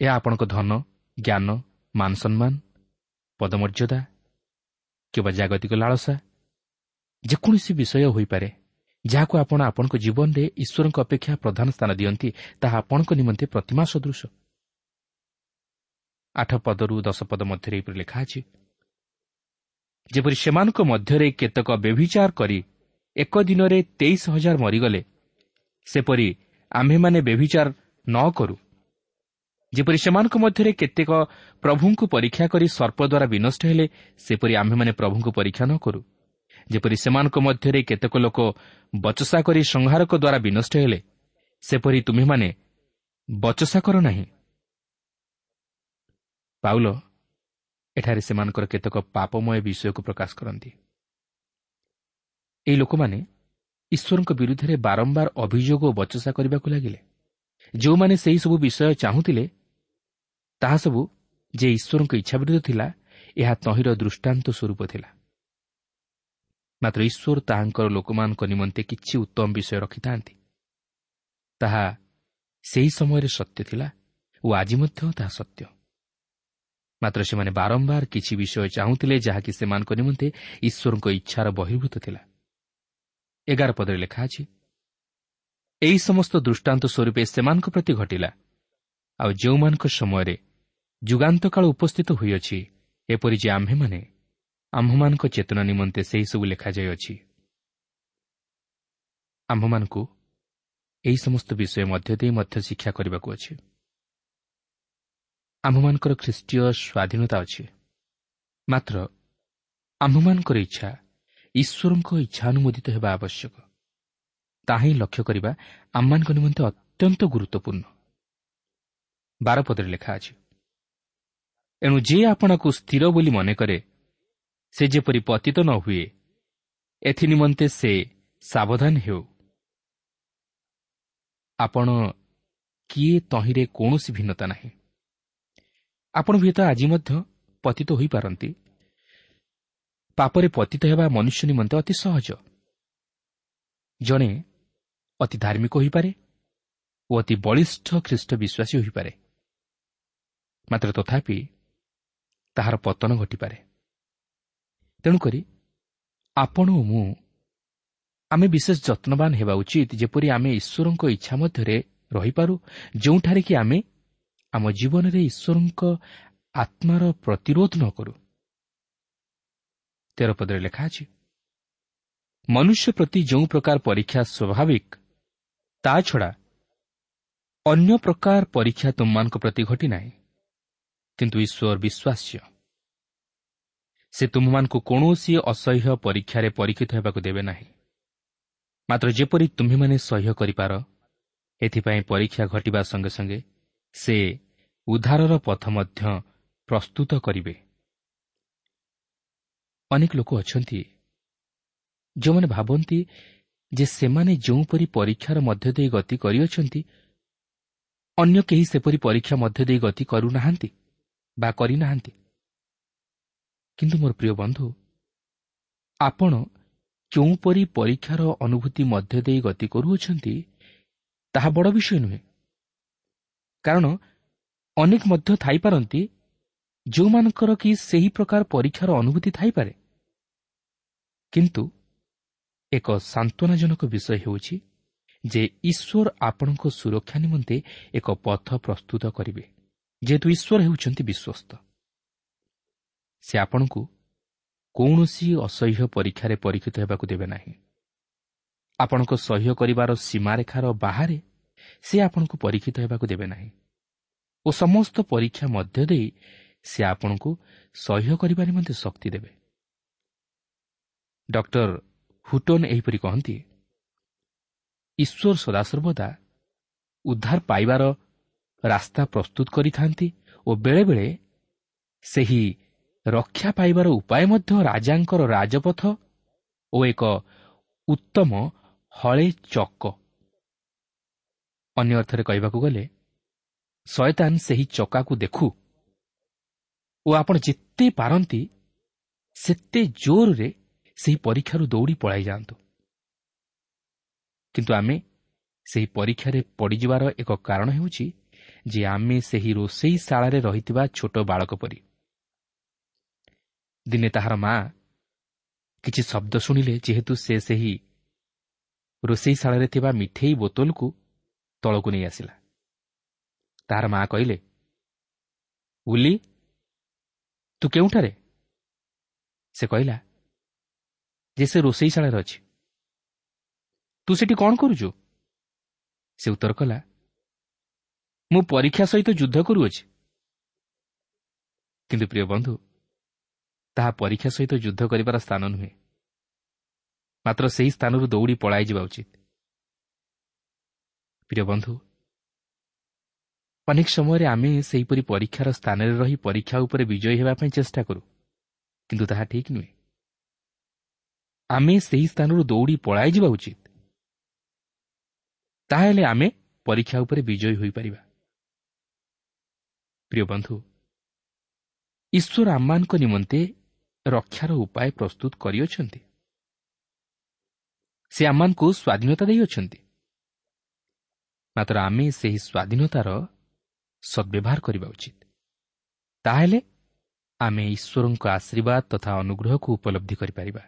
ଏହା ଆପଣଙ୍କ ଧନ, ଜ୍ଞାନ, ମାନସମ୍ମାନ, ପଦମର୍ଯ୍ୟାଦା କିମ୍ବା ଜାଗତିକ ଲାଳସା, ଯେକୌଣସି ବିଷୟ ହୋଇପାରେ ଯାହାକୁ ଆପଣ ଆପଣଙ୍କ ଜୀବନରେ ଈଶ୍ୱରଙ୍କ ଅପେକ୍ଷା ପ୍ରଧାନ ସ୍ଥାନ ଦିଅନ୍ତି, ତାହା ଆପଣଙ୍କ ନିମନ୍ତେ ପ୍ରତିମା ସଦୃଶ। 8 ପଦରୁ 10 ପଦ ମଧ୍ୟରେ ଏହିପରି ଲେଖା ଅଛି, ଯେପରି ସେମାନଙ୍କ ମଧ୍ୟରେ କେତେକ ବ୍ୟଭିଚାର କରି ଏକ ଦିନରେ 23,000 ମରିଗଲେ, ସେପରି ଆମ୍ଭେମାନେ ବ୍ୟଭିଚାର ନ କରୁ। ଯେପରି ସେମାନଙ୍କ ମଧ୍ୟରେ କେତେକ ପ୍ରଭୁଙ୍କୁ ପରୀକ୍ଷା କରି ସର୍ପ ଦ୍ୱାରା ବିନଷ୍ଟ ହେଲେ, ସେପରି ଆମ୍ଭେମାନେ ପ୍ରଭୁଙ୍କୁ ପରୀକ୍ଷା ନ କରୁ। ଯେପରି ସେମାନଙ୍କ ମଧ୍ୟରେ କେତେକ ଲୋକ ବଚସା କରି ସଂହାରକ ଦ୍ୱାରା ବିନଷ୍ଟ ହେଲେ, ସେପରି ତୁମ୍ଭେମାନେ ବଚସା କର ନାହିଁ। ପାଉଲ ଏଠାରେ ସେମାନଙ୍କର କେତେକ ପାପମୟ ବିଷୟକୁ ପ୍ରକାଶ କରନ୍ତି। ଏହି ଲୋକମାନେ ଈଶ୍ୱରଙ୍କ ବିରୁଦ୍ଧରେ ବାରମ୍ବାର ଅଭିଯୋଗ ଓ ବଚସା କରିବାକୁ ଲାଗିଲେ। ଯେଉଁମାନେ ସେହିସବୁ ବିଷୟ ଚାହୁଁଥିଲେ, ତାହା ସବୁ ଯେ ଈଶ୍ୱରଙ୍କ ଇଚ୍ଛା ବିରୁଦ୍ଧ ଥିଲା, ଏହା ତହିଁର ଦୃଷ୍ଟାନ୍ତ ସ୍ୱରୂପ ଥିଲା। ମାତ୍ର ଈଶ୍ୱର ତାହାଙ୍କର ଲୋକମାନଙ୍କ ନିମନ୍ତେ କିଛି ଉତ୍ତମ ବିଷୟ ରଖିଥାନ୍ତି। ତାହା ସେହି ସମୟରେ ସତ୍ୟ ଥିଲା ଓ ଆଜି ମଧ୍ୟ ତାହା ସତ୍ୟ। ମାତ୍ର ସେମାନେ ବାରମ୍ବାର କିଛି ବିଷୟ ଚାହୁଁଥିଲେ ଯାହାକି ସେମାନଙ୍କ ନିମନ୍ତେ ଈଶ୍ୱରଙ୍କ ଇଚ୍ଛାର ବହିର୍ଭୂତ ଥିଲା। 11 ପଦରେ ଲେଖା ଅଛି, ଏହି ସମସ୍ତ ଦୃଷ୍ଟାନ୍ତ ସ୍ୱରୂପେ ସେମାନଙ୍କ ପ୍ରତି ଘଟିଲା, ଆଉ ଯେଉଁମାନଙ୍କ ସମୟରେ ଯୁଗାନ୍ତକାଳ ଉପସ୍ଥିତ ହୋଇଅଛି, ଏପରି ଯେ ଆମ୍ଭେମାନେ ଆମ୍ଭମାନଙ୍କ ଚେତନା ନିମନ୍ତେ ସେହିସବୁ ଲେଖାଯାଇଅଛି। ଆମ୍ଭମାନଙ୍କୁ ଏହି ସମସ୍ତ ବିଷୟ ମଧ୍ୟ ଦେଇ ମଧ୍ୟ ଶିକ୍ଷା କରିବାକୁ ଅଛି। ଆମ୍ଭମାନଙ୍କର ଖ୍ରୀଷ୍ଟୀୟ ସ୍ୱାଧୀନତା ଅଛି, ମାତ୍ର ଆମ୍ଭମାନଙ୍କର ଇଚ୍ଛା ଈଶ୍ୱରଙ୍କ ଇଚ୍ଛା ଅନୁମୋଦିତ ହେବା ଆବଶ୍ୟକ। ତାହା ହିଁ ଲକ୍ଷ୍ୟ କରିବା ଆମମାନଙ୍କ ନିମନ୍ତେ ଅତ୍ୟନ୍ତ ଗୁରୁତ୍ୱପୂର୍ଣ୍ଣ। 12 ପଦରେ ଲେଖା ଅଛି, ଏଣୁ ଯିଏ ଆପଣଙ୍କୁ ସ୍ଥିର ବୋଲି ମନେକରେ, ସେ ଯେପରି ପତିତ ନ ହୁଏ, ଏଥିନିମନ୍ତେ ସେ ସାବଧାନ ହେଉ। ଆପଣ କିଏ ତହିଁରେ କୌଣସି ଭିନ୍ନତା ନାହିଁ। ଆପଣ ହୁଏତ ଆଜି ମଧ୍ୟ ପତିତ ହୋଇପାରନ୍ତି। ପାପରେ ପତିତ ହେବା ମନୁଷ୍ୟ ନିମନ୍ତେ ଅତି ସହଜ। ଜଣେ ଅତି ଧାର୍ମିକ ହୋଇପାରେ ଓ ଅତି ବଳିଷ୍ଠ ଖ୍ରୀଷ୍ଟ ବିଶ୍ୱାସୀ ହୋଇପାରେ, ମାତ୍ର ତଥାପି ତାହାର ପତନ ଘଟିପାରେ। ତେଣୁକରି ଆପଣ ଓ ମୁଁ ଆମେ ବିଶେଷ ଯତ୍ନବାନ ହେବା ଉଚିତ, ଯେପରି ଆମେ ଈଶ୍ୱରଙ୍କ ଇଚ୍ଛା ମଧ୍ୟରେ ରହିପାରୁ, ଯେଉଁଠାରେ କି ଆମେ ଆମ ଜୀବନରେ ଈଶ୍ୱରଙ୍କ ଆତ୍ମାର ପ୍ରତିରୋଧ ନ କରୁ। 13 ପଦରେ ଲେଖା ଅଛି, ମନୁଷ୍ୟ ପ୍ରତି ଯେଉଁ ପ୍ରକାର ପରୀକ୍ଷା ସ୍ୱାଭାବିକ, ତା ଛଡ଼ା ଅନ୍ୟ ପ୍ରକାର ପରୀକ୍ଷା ତୁମମାନଙ୍କ ପ୍ରତି ଘଟିନାହିଁ। କିନ୍ତୁ ଈଶ୍ୱର ବିଶ୍ୱାସ୍ୟ, ସେ ତୁମମାନଙ୍କୁ କୌଣସି ଅସହ୍ୟ ପରୀକ୍ଷାରେ ପରୀକ୍ଷିତ ହେବାକୁ ଦେବେ ନାହିଁ, ମାତ୍ର ଯେପରି ତୁମ୍ଭେମାନେ ସହ୍ୟ କରିପାର, ଏଥିପାଇଁ ପରୀକ୍ଷା ଘଟିବା ସଙ୍ଗେ ସଙ୍ଗେ ସେ ଉଦ୍ଧାରର ପଥ ମଧ୍ୟ ପ୍ରସ୍ତୁତ କରିବେ। ଅନେକ ଲୋକ ଅଛନ୍ତି ଯେଉଁମାନେ ଭାବନ୍ତି ଯେ ସେମାନେ ଯେଉଁପରି ପରୀକ୍ଷାର ମଧ୍ୟ ଦେଇ ଗତି କରିଅଛନ୍ତି, ଅନ୍ୟ କେହି ସେପରି ପରୀକ୍ଷା ମଧ୍ୟ ଦେଇ ଗତି କରୁନାହାନ୍ତି ବା କରିନାହାନ୍ତି। କିନ୍ତୁ ମୋର ପ୍ରିୟ ବନ୍ଧୁ, ଆପଣ କେଉଁପରି ପରୀକ୍ଷାର ଅନୁଭୂତି ମଧ୍ୟ ଦେଇ ଗତି କରୁଅଛନ୍ତି ତାହା ବଡ଼ ବିଷୟ ନୁହେଁ, କାରଣ ଅନେକ ମଧ୍ୟ ଥାଇପାରନ୍ତି ଯେଉଁମାନଙ୍କର କି ସେହି ପ୍ରକାର ପରୀକ୍ଷାର ଅନୁଭୂତି ଥାଇପାରେ। କିନ୍ତୁ ଏକ ସାନ୍ତ୍ୱନାଜନକ ବିଷୟ ହେଉଛି ଯେ ଈଶ୍ୱର ଆପଣଙ୍କ ସୁରକ୍ଷା ନିମନ୍ତେ ଏକ ପଥ ପ୍ରସ୍ତୁତ କରିବେ। ଯେହେତୁ ଈଶ୍ୱର ହେଉଛନ୍ତି ବିଶ୍ୱସ୍ତ, ସେ ଆପଣଙ୍କୁ କୌଣସି ଅସହ୍ୟ ପରୀକ୍ଷାରେ ପରୀକ୍ଷିତ ହେବାକୁ ଦେବେ ନାହିଁ। ଆପଣଙ୍କ ସହ୍ୟ କରିବାର ସୀମାରେଖାର ବାହାରେ ସେ ଆପଣଙ୍କୁ ପରୀକ୍ଷିତ ହେବାକୁ ଦେବେ ନାହିଁ ଓ ସମସ୍ତ ପରୀକ୍ଷା ମଧ୍ୟ ଦେଇ ସେ ଆପଣଙ୍କୁ ସହ୍ୟ କରିବା ନିମନ୍ତେ ଶକ୍ତି ଦେବେ। ଡକ୍ଟର ହୁଟନ୍ ଏହିପରି କହନ୍ତି, ଈଶ୍ୱର ସଦାସର୍ବଦା ଉଦ୍ଧାର ପାଇବାର ରାସ୍ତା ପ୍ରସ୍ତୁତ କରିଥାନ୍ତି ଓ ବେଳେବେଳେ ସେହି ରକ୍ଷା ପାଇବାର ଉପାୟ ମଧ୍ୟ ରାଜାଙ୍କର ରାଜପଥ ଓ ଏକ ଉତ୍ତମ ହଳେ ଚକ। ଅନ୍ୟ ଅର୍ଥରେ କହିବାକୁ ଗଲେ, ଶୟତାନ ସେହି ଚକାକୁ ଦେଖୁ ଓ ଆପଣ ଯେତେ ପାରନ୍ତି ସେତେ ଜୋରରେ ସେହି ପରୀକ୍ଷାରୁ ଦୌଡ଼ି ପଳାଇ ଯାଆନ୍ତୁ। କିନ୍ତୁ ଆମେ ସେହି ପରୀକ୍ଷାରେ ପଡ଼ିଯିବାର ଏକ କାରଣ ହେଉଛି ଯେ ଆମେ ସେହି ରୋଷେଇ ଶାଳାରେ ରହିଥିବା ଛୋଟ ବାଳକ ପରି। ଦିନେ ତାହାର ମା କିଛି ଶବ୍ଦ ଶୁଣିଲେ, ଯେହେତୁ ସେ ସେହି ରୋଷେଇ ଶାଳାରେ ଥିବା ମିଠେଇ ବୋତଲକୁ ତଳକୁ ନେଇ ଆସିଲା। ତାହାର ମା କହିଲେ, ଉଲି, ତୁ କେଉଁଠାରେ? ସେ କହିଲା ଯେ ସେ ରୋଷେଇ ଶାଳାରେ ଅଛି। ତୁ ସେଠି କ'ଣ କରୁଛୁ? ସେ ଉତ୍ତର କଲା, ମୁଁ ପରୀକ୍ଷା ସହିତ ଯୁଦ୍ଧ କରୁଅଛି। କିନ୍ତୁ ପ୍ରିୟ ବନ୍ଧୁ, ତାହା ପରୀକ୍ଷା ସହିତ ଯୁଦ୍ଧ କରିବାର ସ୍ଥାନ ନୁହେଁ, ମାତ୍ର ସେହି ସ୍ଥାନରୁ ଦୌଡ଼ି ପଳାଇଯିବା ଉଚିତ। ପ୍ରିୟ ବନ୍ଧୁ, ଅନେକ ସମୟରେ ଆମେ ସେହିପରି ପରୀକ୍ଷାର ସ୍ଥାନରେ ରହି ପରୀକ୍ଷା ଉପରେ ବିଜୟୀ ହେବା ପାଇଁ ଚେଷ୍ଟା କରୁ, କିନ୍ତୁ ତାହା ଠିକ୍ ନୁହେଁ। ଆମେ ସେହି ସ୍ଥାନରୁ ଦୌଡ଼ି ପଳାଇଯିବା ଉଚିତ, ତାହେଲେ ଆମେ ପରୀକ୍ଷା ଉପରେ ବିଜୟୀ ହୋଇପାରିବା। ପ୍ରିୟ ବନ୍ଧୁ, ଈଶ୍ୱର ଆମମାନଙ୍କ ନିମନ୍ତେ ରକ୍ଷାର ଉପାୟ ପ୍ରସ୍ତୁତ କରିଅଛନ୍ତି। ସେ ଆମମାନଙ୍କୁ ସ୍ୱାଧୀନତା ଦେଇଅଛନ୍ତି, ମାତ୍ର ଆମେ ସେହି ସ୍ୱାଧୀନତାର ସଦ୍ବ୍ୟବହାର କରିବା ଉଚିତ। ତାହେଲେ ଆମେ ଈଶ୍ୱରଙ୍କ ଆଶୀର୍ବାଦ ତଥା ଅନୁଗ୍ରହକୁ ଉପଲବ୍ଧି କରିପାରିବା।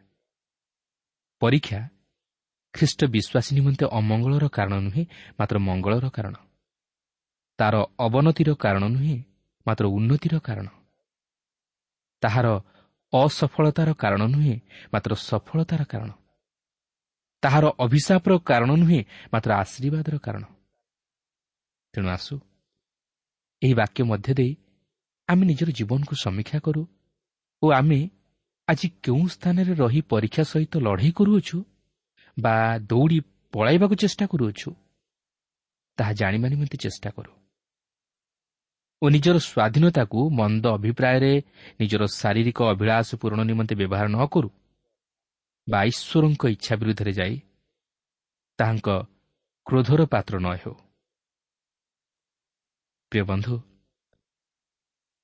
ପରୀକ୍ଷା ଖ୍ରୀଷ୍ଟ ବିଶ୍ୱାସୀ ନିମନ୍ତେ ଅମଙ୍ଗଳର କାରଣ ନୁହେଁ, ମାତ୍ର ମଙ୍ଗଳର କାରଣ। ତାର ଅବନତିର କାରଣ ନୁହେଁ, ମାତ୍ର ଉନ୍ନତିର କାରଣ। ତାହାର ଅସଫଳତାର କାରଣ ନୁହେଁ, ମାତ୍ର ସଫଳତାର କାରଣ। ତାହାର ଅଭିଶାପର କାରଣ ନୁହେଁ, ମାତ୍ର ଆଶୀର୍ବାଦର କାରଣ। ତେଣୁ ଆସୁ ଏହି ବାକ୍ୟ ମଧ୍ୟ ଦେଇ ଆମେ ନିଜର ଜୀବନକୁ ସମୀକ୍ଷା କରୁ ଓ ଆମେ ଆଜି କେଉଁ ସ୍ଥାନରେ ରହି ପରୀକ୍ଷା ସହିତ ଲଢ଼େଇ କରୁଅଛୁ ବା ଦୌଡ଼ି ପଳାଇବାକୁ ଚେଷ୍ଟା କରୁଅଛୁ ତାହା ଜାଣିବା ନିମନ୍ତେ ଚେଷ୍ଟା କରୁ ଓ ନିଜର ସ୍ୱାଧୀନତାକୁ ମନ୍ଦ ଅଭିପ୍ରାୟରେ ନିଜର ଶାରୀରିକ ଅଭିଳାଷ ପୂରଣ ନିମନ୍ତେ ବ୍ୟବହାର ନ କରୁ ବା ଈଶ୍ୱରଙ୍କ ଇଚ୍ଛା ବିରୁଦ୍ଧରେ ଯାଇ ତାହାଙ୍କ କ୍ରୋଧର ପାତ୍ର ନ ହେଉ। ପ୍ରିୟ ବନ୍ଧୁ,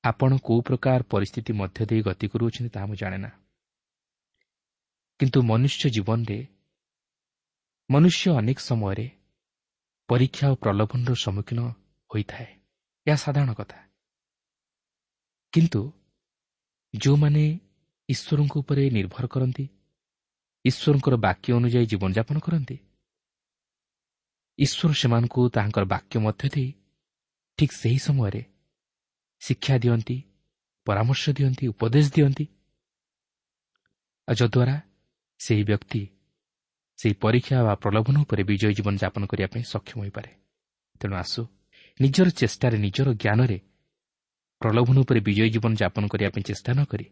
ଆପଣ କେଉଁ ପ୍ରକାର ପରିସ୍ଥିତି ମଧ୍ୟ ଦେଇ ଗତି କରୁଅଛନ୍ତି ତାହା ମୁଁ ଜାଣେ ନା, କିନ୍ତୁ ମନୁଷ୍ୟ ଜୀବନରେ ମନୁଷ୍ୟ ଅନେକ ସମୟରେ ପରୀକ୍ଷା ଓ ପ୍ରଲୋଭନର ସମ୍ମୁଖୀନ ହୋଇଥାଏ। ଏହା ସାଧାରଣ କଥା। କିନ୍ତୁ ଯେଉଁମାନେ ଈଶ୍ୱରଙ୍କ ଉପରେ ନିର୍ଭର କରନ୍ତି, ଈଶ୍ୱରଙ୍କର ବାକ୍ୟ ଅନୁଯାୟୀ ଜୀବନଯାପନ କରନ୍ତି, ଈଶ୍ୱର ସେମାନଙ୍କୁ ତାହାଙ୍କର ବାକ୍ୟ ମଧ୍ୟ ଦେଇ ଠିକ୍ ସେହି ସମୟରେ ଶିକ୍ଷା ଦିଅନ୍ତି, ପରାମର୍ଶ ଦିଅନ୍ତି, ଉପଦେଶ ଦିଅନ୍ତି, ଆଉ ଯଦ୍ୱାରା ସେହି ବ୍ୟକ୍ତି ସେହି ପରୀକ୍ଷା ବା ପ୍ରଲୋଭନ ଉପରେ ବିଜୟୀ ଜୀବନଯାପନ କରିବା ପାଇଁ ସକ୍ଷମ ହୋଇପାରେ। ତେଣୁ ଆସୁ ନିଜର ଚେଷ୍ଟାରେ, ନିଜର ଜ୍ଞାନରେ ପ୍ରଲୋଭନ ଉପରେ ବିଜୟୀ ଜୀବନଯାପନ କରିବା ପାଇଁ ଚେଷ୍ଟା ନ କରି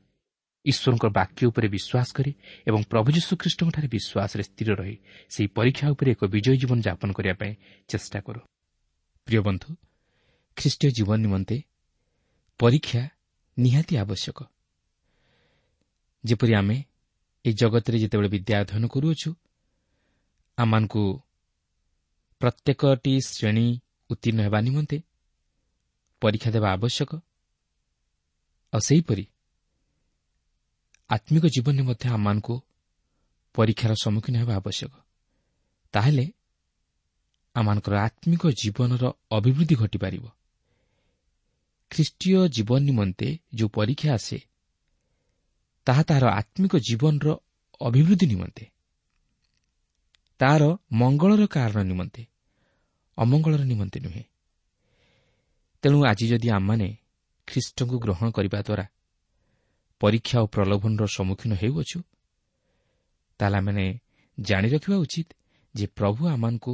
ଈଶ୍ୱରଙ୍କ ବାକ୍ୟ ଉପରେ ବିଶ୍ୱାସ କରି ଏବଂ ପ୍ରଭୁ ଯୀଶୁଖ୍ରୀଷ୍ଟଙ୍କଠାରେ ବିଶ୍ୱାସରେ ସ୍ଥିର ରହି ସେହି ପରୀକ୍ଷା ଉପରେ ଏକ ବିଜୟୀ ଜୀବନ ଯାପନ କରିବା ପାଇଁ ଚେଷ୍ଟା କରୁ। ପ୍ରିୟ ବନ୍ଧୁ, ଖ୍ରୀଷ୍ଟୀୟ ଜୀବନ ନିମନ୍ତେ ପରୀକ୍ଷା ନିହାତି ଆବଶ୍ୟକ। ଯେପରି ଆମେ ଏହି ଜଗତରେ ଯେତେବେଳେ ବିଦ୍ୟା ଅଧ୍ୟୟନ କରୁଅଛୁ, ଆମମାନଙ୍କୁ ପ୍ରତ୍ୟେକଟି ଶ୍ରେଣୀ ଉତ୍ତୀର୍ଣ୍ଣ ହେବା ନିମନ୍ତେ ପରୀକ୍ଷା ଦେବା ଆବଶ୍ୟକ। ଆଉ ସେହିପରି ଆତ୍ମିକ ଜୀବନରେ ମଧ୍ୟ ଆମମାନଙ୍କୁ ପରୀକ୍ଷାର ସମ୍ମୁଖୀନ ହେବା ଆବଶ୍ୟକ। ତାହେଲେ ଆମମାନଙ୍କର ଆତ୍ମିକ ଜୀବନର ଅଭିବୃଦ୍ଧି ଘଟିପାରିବ। ଖ୍ରୀଷ୍ଟୀୟ ଜୀବନ ନିମନ୍ତେ ଯେଉଁ ପରୀକ୍ଷା ଆସେ, ତାହା ତାହାର ଆତ୍ମିକ ଜୀବନର ଅଭିବୃଦ୍ଧି ନିମନ୍ତେ, ତାହାର ମଙ୍ଗଳର କାରଣ ନିମନ୍ତେ, ଅମଙ୍ଗଳର ନିମନ୍ତେ ନୁହେଁ। ତେଣୁ ଆଜି ଯଦି ଆମମାନେ ଖ୍ରୀଷ୍ଟଙ୍କୁ ଗ୍ରହଣ କରିବା ଦ୍ୱାରା ପରୀକ୍ଷା ଓ ପ୍ରଲୋଭନର ସମ୍ମୁଖୀନ ହେଉଅଛୁ, ତାହେଲେ ଆମେମାନେ ଜାଣି ରଖିବା ଉଚିତ ଯେ ପ୍ରଭୁ ଆମମାନଙ୍କୁ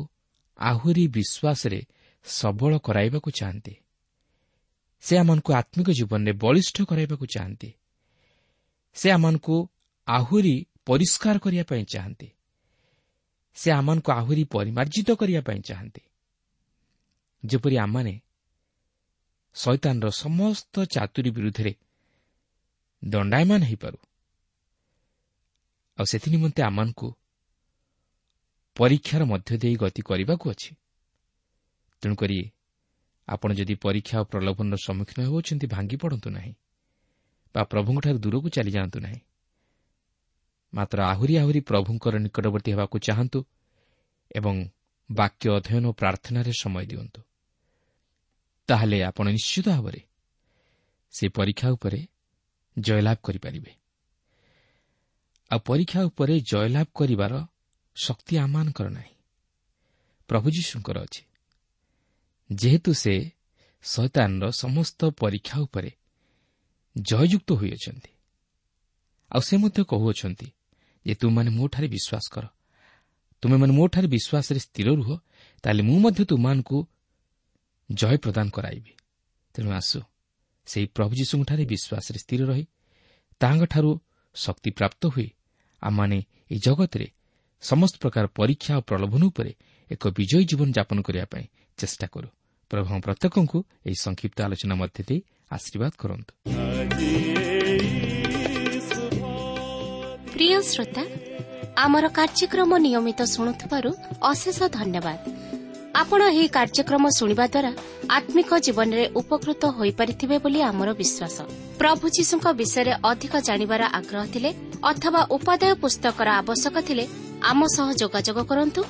ଆହୁରି ବିଶ୍ୱାସରେ ସବଳ କରାଇବାକୁ ଚାହାନ୍ତି। ସେ ଆମମାନଙ୍କୁ ଆତ୍ମିକ ଜୀବନରେ ବଳିଷ୍ଠ କରାଇବାକୁ ଚାହାନ୍ତି। ସେ ଆମମାନଙ୍କୁ ଆହୁରି ପରିଷ୍କାର କରିବା ପାଇଁ ଚାହାନ୍ତି। ସେ ଆମମାନଙ୍କୁ ଆହୁରି ପରିମାର୍ଜିତ କରିବା ପାଇଁ ଚାହାନ୍ତି, ଯେପରି ଆମମାନେ ଶୈତାନର ସମସ୍ତ ଚାତୁରୀ ବିରୁଦ୍ଧରେ ଦଣ୍ଡାୟମାନ ହୋଇପାରୁ। ଆଉ ସେଥିନିମନ୍ତେ ଆମମାନଙ୍କୁ ପରୀକ୍ଷାର ମଧ୍ୟ ଦେଇ ଗତି କରିବାକୁ ଅଛି। ତେଣୁକରି ଆପଣ ଯଦି ପରୀକ୍ଷା ଓ ପ୍ରଲୋଭନର ସମ୍ମୁଖୀନ ହେଉଛନ୍ତି, ଭାଙ୍ଗି ପଡ଼ନ୍ତୁ ନାହିଁ ବା ପ୍ରଭୁଙ୍କଠାରୁ ଦୂରକୁ ଚାଲିଯାଆନ୍ତୁ ନାହିଁ, ମାତ୍ର ଆହୁରି ଆହୁରି ପ୍ରଭୁଙ୍କର ନିକଟବର୍ତ୍ତୀ ହେବାକୁ ଚାହାନ୍ତୁ ଏବଂ ବାକ୍ୟ ଅଧ୍ୟୟନ ଓ ପ୍ରାର୍ଥନାରେ ସମୟ ଦିଅନ୍ତୁ। ତାହେଲେ ଆପଣ ନିଶ୍ଚିତ ଭାବରେ ସେ ପରୀକ୍ଷା ଉପରେ ଜୟଲାଭ କରିପାରିବେ। ଆଉ ପରୀକ୍ଷା ଉପରେ ଜୟଲାଭ କରିବାର ଶକ୍ତି ଆମମାନଙ୍କର ନାହିଁ, ପ୍ରଭୁ ଯୀଶୁଙ୍କର ଅଛି। ଯେହେତୁ ସେ ଶୈତାନର ସମସ୍ତ ପରୀକ୍ଷା ଉପରେ ଜୟଯୁକ୍ତ ହୋଇଅଛନ୍ତି। ଆଉ ସେ ମଧ୍ୟ କହୁଅଛନ୍ତି ଯେ ତୁମେମାନେ ମୋଠାରେ ବିଶ୍ୱାସ କର, ତୁମେମାନେ ମୋଠାରେ ବିଶ୍ୱାସରେ ସ୍ଥିର ରୁହ, ତାହେଲେ ମୁଁ ମଧ୍ୟ ତୁମମାନଙ୍କୁ ଜୟ ପ୍ରଦାନ କରାଇବି। ତେଣୁ ଆସୁ ସେହି ପ୍ରଭୁ ଯୀଶୁଙ୍କଠାରେ ବିଶ୍ୱାସରେ ସ୍ଥିର ରହି ତାହାଙ୍କଠାରୁ ଶକ୍ତି ପ୍ରାପ୍ତ ହୋଇ ଆମମାନେ ଏହି ଜଗତରେ ସମସ୍ତ ପ୍ରକାର ପରୀକ୍ଷା ଓ ପ୍ରଲୋଭନ ଉପରେ ଏକ ବିଜୟୀ ଜୀବନ ଯାପନ କରିବା ପାଇଁ ଚେଷ୍ଟା କରୁ। ପ୍ରଭୁ ପ୍ରତ୍ୟେକଙ୍କୁ ଏହି ସଂକ୍ଷିପ୍ତ ଆଲୋଚନା ମଧ୍ୟ ଦେଇ ଆଶୀର୍ବାଦ କରନ୍ତୁ। ପ୍ରିୟ ଶ୍ରୋତା, ଆମର କାର୍ଯ୍ୟକ୍ରମ ନିୟମିତ ଶୁଣୁଥିବାରୁ ଅଶେଷ ଧନ୍ୟବାଦ। ଆପଣ ଏହି କାର୍ଯ୍ୟକ୍ରମ ଶୁଣିବା ଦ୍ୱାରା ଆତ୍ମିକ ଜୀବନରେ ଉପକୃତ ହୋଇପାରିଥିବେ ବୋଲି ଆମର ବିଶ୍ୱାସ। ପ୍ରଭୁ ଯୀଶୁଙ୍କ ବିଷୟରେ ଅଧିକ ଜାଣିବାର ଆଗ୍ରହ ଥିଲେ ଅଥବା ଉପାଦେୟ ପୁସ୍ତକର ଆବଶ୍ୟକ ଥିଲେ ଆମ ସହ ଯୋଗାଯୋଗ କରନ୍ତୁ।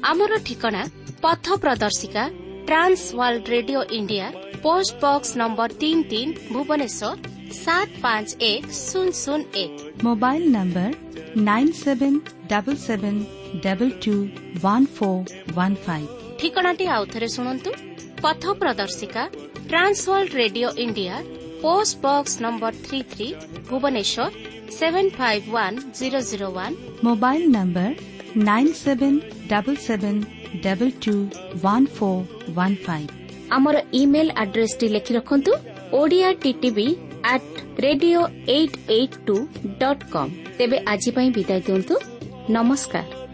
ଆମର ଠିକଣା ପଥ ପ୍ରଦର୍ଶିକା, Trans World Radio India, post box number 33, Bhubaneswar 751001। Mobile number 9777221415। ଠିକଣାଟି ଆଉଥରେ ଶୁଣନ୍ତୁ। ପଥ ପ୍ରଦର୍ଶିକା, Trans World Radio India, post box number 33, Bhubaneswar 751001। Mobile number 9777221415। ଆମର ଇମେଲ୍ ଆଡ୍ରେସଟି ଲେଖି ରଖନ୍ତୁ: Odia TTV at radio 882.com। ତେବେ ଆଜି ପାଇଁ ବିଦାୟ ଦିଅନ୍ତୁ। ନମସ୍କାର।